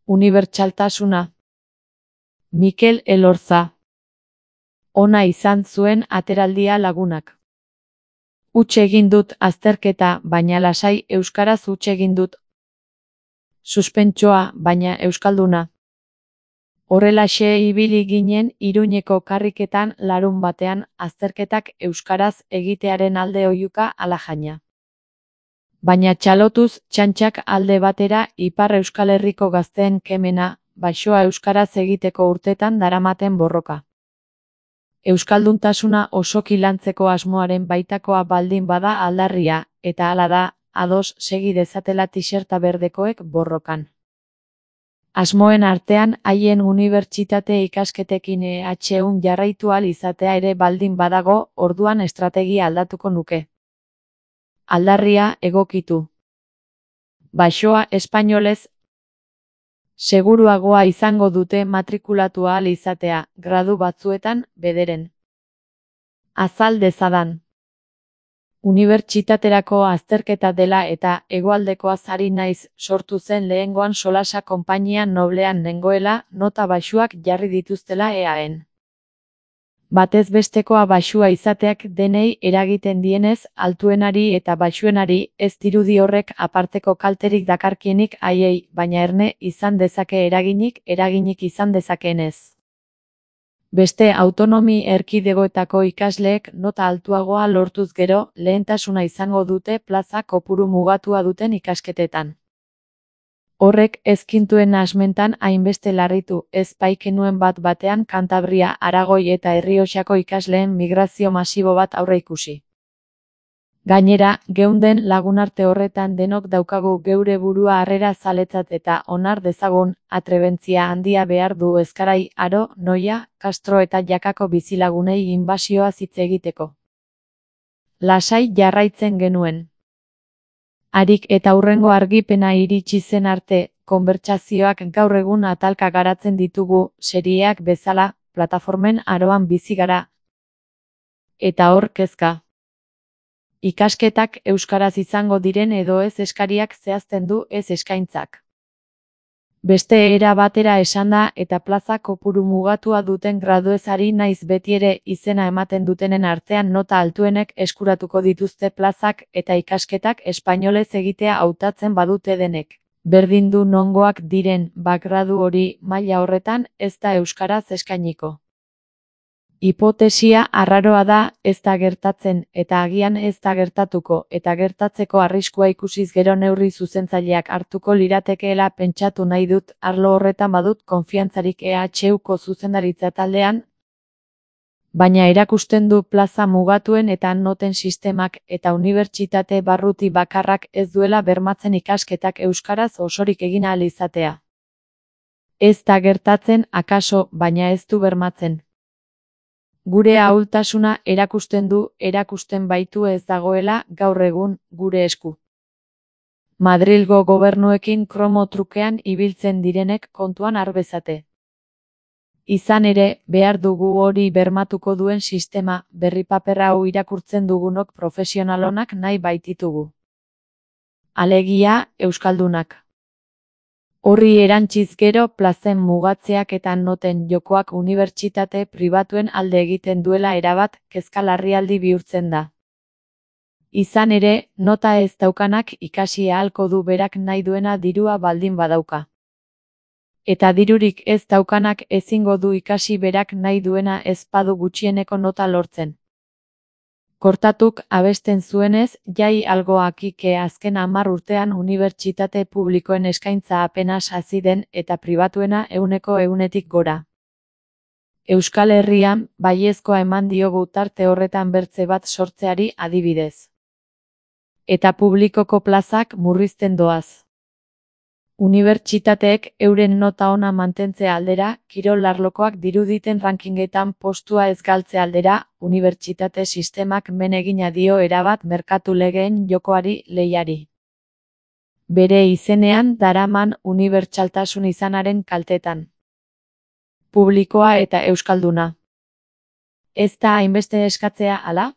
Unibertsaltasuna. Mikel Elorza. Ona izan zuen ateraldia lagunak. Huts egin dut azterketa, baina lasai euskaraz huts egin dut. Suspentsoa, baina euskalduna. Horrelaxe ibili ginen Iruñeko karriketan larunbatean azterketak euskaraz egitearen alde oihuka ala jaina. Baina txalotuz txantxak alde batera Ipar Euskal Herriko gazteen kemena, baxoa euskaraz egiteko urtetan daramaten borroka. Euskalduntasuna osoki lantzeko asmoaren baitakoa baldin bada aldarria, eta hala da, ados segi dezatela tiserta berdekoek borrokan. Asmoen artean haien unibertsitate ikasketekin EHUn jarraitu ahal izatea ere baldin badago, orduan estrategia aldatuko nuke. Aldarria egokitu. Baxoa espainolez seguruagoa izango dute matrikulatu ahal izatea, gradu batzuetan, bederen. Azal dezadan. Unibertsitaterako azterketa dela eta hegoaldekoaz ari naiz sortu zen lehengoan solasa konpainia noblean nengoela nota baxuak jarri dituztela EAen. Batez bestekoa baxua izateak denei eragiten dienez, altuenari eta baxuenari ez dirudi horrek aparteko kalterik dakarkienik haiei, baina erne izan dezake eraginik izan dezakeenez. Beste autonomi erkidegoetako ikasleek nota altuagoa lortuz gero, lehentasuna izango dute plaza kopuru mugatua duten ikasketetan. Horrek ezkintuen asmentan hainbeste larritu, ez baikenuen bat batean Kantabria, Aragoi eta Errioxako ikasleen migrazio masibo bat aurreikusi. Gainera, geunden lagunarte horretan denok daukagu geure burua harrera zaletzat eta onar dezagun, atrebentzia handia behar du Ezkarai, Aro, Noia, Castro eta Jakako bizilagunei inbasioa hitz egiteko. Lasai jarraitzen genuen. Harik eta hurrengo argipena iritsi zen arte, konbertsazioak gaur egun atalka garatzen ditugu, serieak bezala, plataformen aroan bizi gara. Eta hor kezka. Ikasketak euskaraz izango diren edo ez eskariak zehazten du ez eskaintzak. Beste era batera esanda eta plaza kopuru mugatua duten graduez ari naiz betiere izena ematen dutenen artean nota altuenek eskuratuko dituzte plazak eta ikasketak espainolez egitea hautatzen badute denek. Berdin du nongoak diren, gradu hori maila horretan ez da euskaraz eskainiko. Hipotesia arraroa da, ez da gertatzen, eta agian ez da gertatuko, eta gertatzeko arriskua ikusiz gero neurri zuzentzaileak hartuko liratekeela pentsatu nahi dut, arlo horretan badut konfiantzarik EHUko zuzendaritza taldean, baina erakusten du plaza mugatuen eta noten sistemak eta unibertsitate barruti bakarrak ez duela bermatzen ikasketak euskaraz osorik egin ahal izatea. Ez da gertatzen, akaso, baina ez du bermatzen. Gure ahultasuna erakusten baitu ez dagoela, gaur egun, gure esku. Madrilgo gobernuekin kromo trukean ibiltzen direnek kontuan har bezate. Izan ere, behar dugu hori bermatuko duen sistema, berri paper hau irakurtzen dugunok profesionalonak nahi baititugu. Alegia, euskaldunak. Horri erantziz gero plazen mugatzeak eta noten jokoak unibertsitate pribatuen alde egiten duela erabat kezka larrialdi bihurtzen da. Izan ere, nota ez daukanak ikasi ahalko du berak nahi duena dirua baldin badauka. Eta dirurik ez daukanak ezingo du ikasi berak nahi duena ez badu gutxieneko nota lortzen. Kortatuk abesten zuenez, jai algoakike azken 10 urtean unibertsitate publikoen eskaintza apenas hazi den eta pribatuena 100%tik gora. Euskal Herrian, baiezkoa eman diogu tarte horretan bertze bat sortzeari adibidez. Eta publikoko plazak murrizten doaz. Unibertsitateek euren nota ona mantentze aldera, kirol arlokoak diruditen rankingetan postua ez galtze aldera, unibertsitate sistemak men egina dio erabat merkatu legeen jokoari lehiari. Bere izenean daraman unibertsaltasun izanaren kaltetan. Publikoa eta euskalduna. Ez da hainbeste eskatzea, ala?